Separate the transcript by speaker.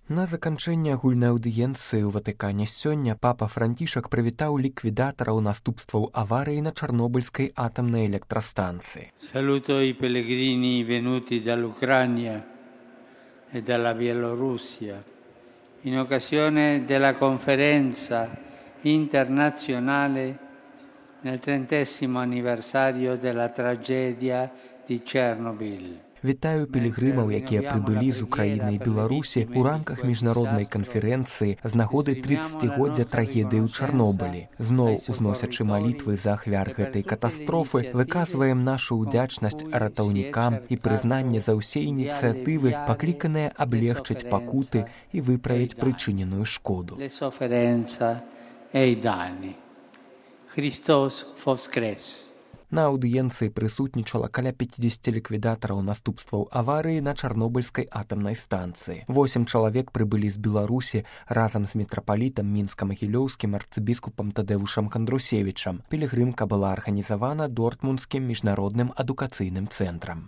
Speaker 1: На заканчэнне агульнай аўдыенцыі ў Ватыкане сёння папа Францішак прывітаў ліквідатараў наступстваў аварыі на Чарнобыльскай атамнай электрастанцыі.
Speaker 2: Saluto i pellegrini venuti dall'Ucraina e dalla Bielorussia in occasione della conferenza internazionale nel 30° anniversario della tragedia di Chernobyl.
Speaker 1: Вітаю пілігрымаў, якія прыбылі з Украіны і Беларусі ў рамках міжнароднай канферэнцыі з нагоды 30-годдзя трагедыі ў Чарнобылі. Зноў узносячы малітвы за ахвяр гэтай катастрофы, выказваем нашу ўдзячнасць ратаўнікам і прызнанне за ўсе ініцыятывы, пакліканыя аблегчыць пакуты і выправіць прычыненую шкоду.
Speaker 2: Христос воскрес!
Speaker 1: На аўдыенцыі прысутнічала каля 50 ліквідатараў наступстваў аварыі на Чарнобыльскай атамнай станцыі. 8 чалавек прыбылі з Беларусі разам з мітрапалітам мінска-магілёўскім арцыбіскупам Тадэвушам Кандрусевічам. Пілігрымка была арганізавана Дортмундскім міжнародным адукацыйным цэнтрам.